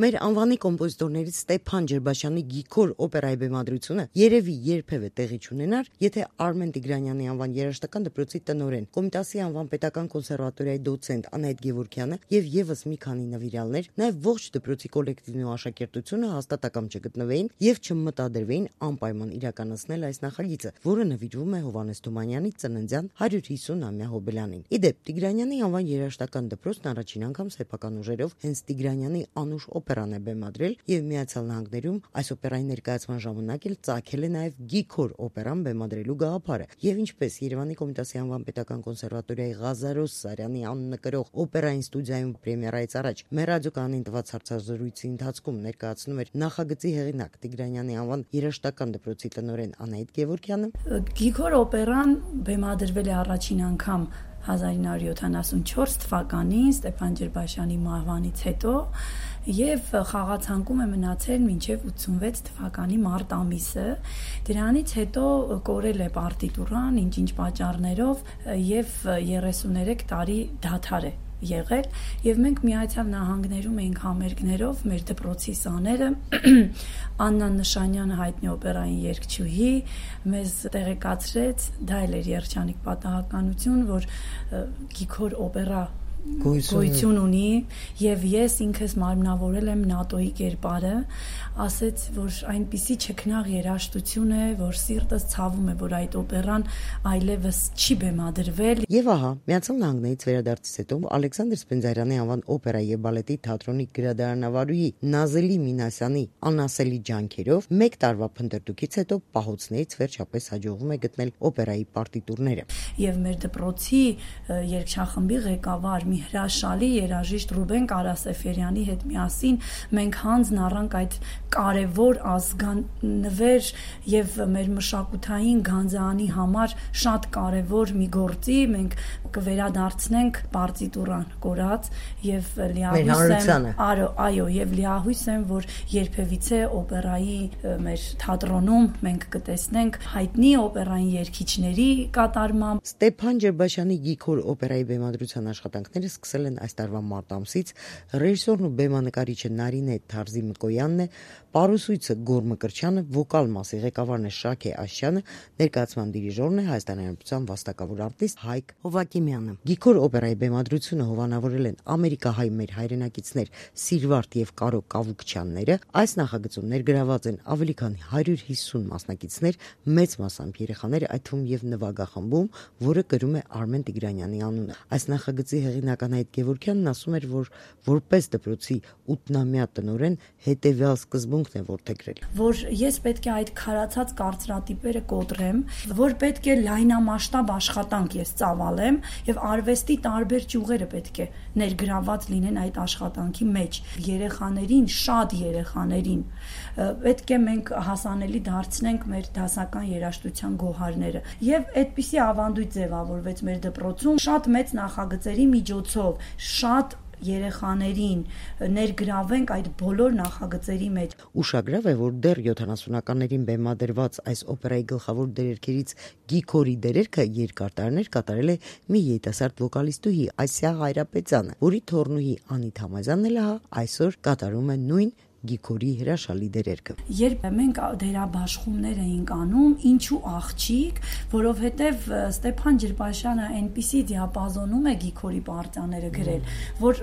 Մեր անվանի կոմպոզիտորներից Ստեփան Ջերբաշյանի Գիգոր օպերայի բեմադրությունը երևի երբևէ տեղի չունենար, եթե Արմեն Տիգրանյանի անվան երաժշտական դպրոցի տնօրեն, Կոմիտասի անվան պետական կոնսերվատորիայի դոցենտ Անահիտ Գևորգյանը եւ եւս մի քանի նվիրյալներ, նաեւ ողջ դպրոցի կոլեկտիվն ու աշակերտությունը հաստատակամ չգտնվեին եւ չմտադրվեին անպայման իրականացնել այս նախագիծը, որը նվիրվում է Հովհաննես Թումանյանի ծննդյան 150-ամյա հոբելյանին։ Իդեպ Տիգրանյանի անվան երաժշտական դպրոցն առաջին անգամ սեփական ուժերով հենց Տիգրանյանի անուշ օպերան է բեմադրել եւ Միացյալ Նահանգներում այս օպերայի ներկայացման ժամանակ էլ ծագել է նաեւ Գիգոր օպերան բեմադրելու գաղափարը եւ ինչպես Երևանի Կոմիտասի անվան պետական կոնսերվատորիայի Ղազարոս Սարյանի անունը կրող օպերային ստուդիայում պրեմիերայից առաջ մեր ռադիոկանին տված հարցազրույցի ընթացքում ներկայացնում էր նախագծի հեղինակ Տիգրանյանի անվան երաժշտական դպրոցի տնօրեն Անահիտ Գևորգյանը, Գիգոր օպերան բեմադրվել է առաջին անգամ 1974 թվականին Ստեփան Ջերբաշյանի մահվանից հետո եւ խաղացանկում է մնացել մինչեւ 86 թվականի մարտ ամիսը։ Դրանից հետո կորել է պարտիտուրան, ինչ պատճառներով եւ 33 տարի դադար է եղել եւ մենք Միացյալ Նահանգներում էինք համերգներով մեր դպրոցի սաները Աննա Նշանյանը հայտնի օպերային երգչուհի մեզ տեղեկացրեց, դա էլ էր երջանիկ պատահականություն, որ Գիգոր օպերա գոյություն ունի եւ ես ինքս մարմնավորել եմ ՆԱՏՕ-ի կերպարը, ասեց, որ այնպիսի չքնաղ երաժշտություն է, որ սիրտս ցավում է, որ այդ օպերան այլևս չի բեմադրվել։ Եվ ահա, Միացյալ Նահանգներից վերադարձից հետո Ալեքսանդր Սպենդիարյանի անվան օպերայի եւ բալետի թատրոնի գրադարանավարուհի Նազելի Մինասյանի անասելի ջանքերով մեկ տարվա փնտրտուքից հետո պահոցներից վերջապես հաջողվում է գտնել օպերայի պարտիտուրները։ Եւ մեր դպրոցի երգչախմբի ղեկավար մի հրաշալի երաժիշտ Ռուբեն Կարասեֆերյանի հետ միասին մենք հանձն առանք այդ կարևոր ազգանվեր եւ մեր մշակութային գանձանի համար շատ կարևոր մի գործի, մենք կվերադարձնենք պարտիտուրան կորած եւ լիահույս եմ, այո, եւ լիահույս եմ, որ երբևիցե օպերայի մեր թատրոնում մենք կտեսնենք հայտնի օպերային երգիչների կատարմամբ։ Ստեփան Ջերբաշյանի Գիգոր օպերայի բեմադրության աշխատանքները սկսել են այս տարվա մարտ ամսից, ռեժիսորն ու բեմանկարիչը Նարինե Թարզի Մկոյանն է, պարուսույցը Գոր Մկրտչյանը, վոկալ մասի ղեկավարն է Շաքե Աշյանը, ներկայացման դիրիժորն է Հայաստանի Հանրապետության վաստակավոր արտիստ Հայկ Հովակիմյանը։ Գիգոր օպերայի բեմադրությունը հովանավորել են ամերիկահայ մեր հայրենակիցներ Սիրվարդ եւ Կարո Կավուկչյանները։ Այս նախագծում ներգրաված են ավելի քան 150 մասնակիցներ, մեծ մասամբ երեխաներ, այդ թվում եւ նվագախմբում, որը կրում է Արմեն Տիգրանյանի անունը։ Այս նախագծի հեղինակ Անահիտ Գևորգյանն ասում էր, որ որպես դպրոցի 8-ամյա տնօրեն հետեւյալ սկզբունքն է որդեգրել, որ ես պետք է այդ քարացած կարծրատիպերը կոտրեմ, որ պետք է լայնամասշտաբ աշխատանք ես ծավալեմ եւ արվեստի տարբեր ճյուղերը պետք է ներգրաված լինեն այդ աշխատանքի մեջ։ Երեխաներին, շատ երեխաներին պետք է մենք հասանելի դարձնենք մեր դասական երաժշտության գոհարները։ Եվ այդպիսի ավանդույթ ձևավորվեց մեր դպրոցում շատ մեծ նախագծերի միջոցով, շատ երեխաներին ներգրավենք այդ բոլոր նախագծերի մեջ։ Ուշագրավ է, որ դեռ 70-ականներին բեմադրված այս օպերայի գլխավոր դերերքերից Գիգորի դերերքը երկար տարիներ կատարել է մի երիտասարդ վոկալիստուհի Ասիա Հայրապետյանը, որի թոռնուհի Անիթ Համազյանն էլ այսօր կատարում է նույն Գիգորի հրաշալի դերերքը։ Երբ մենք դերաբաշխումներ էինք անում, ինչու աղջիկ, որովհետև Ստեփան Ջերբաշյանը այնպիսի դիապազոնում է Գիգորի պարտիաները գրել, որ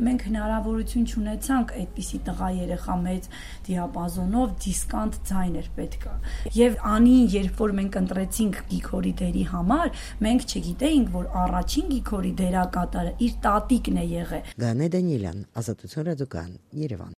մենք հնարավորություն չունեցանք այդպիսի տղա երեխա մեծ դիապազոնով դիսկանտ ձայն էր պետք։ Եվ Անին, երբ որ մենք ընտրեցինք Գիգորի դերի համար, մենք չգիտեինք, որ առաջին Գիգորի դերակատարը իր տատիկն է եղել։ Գանե Դանիելյան, Ազատություն ռադիոկայան, Երևան։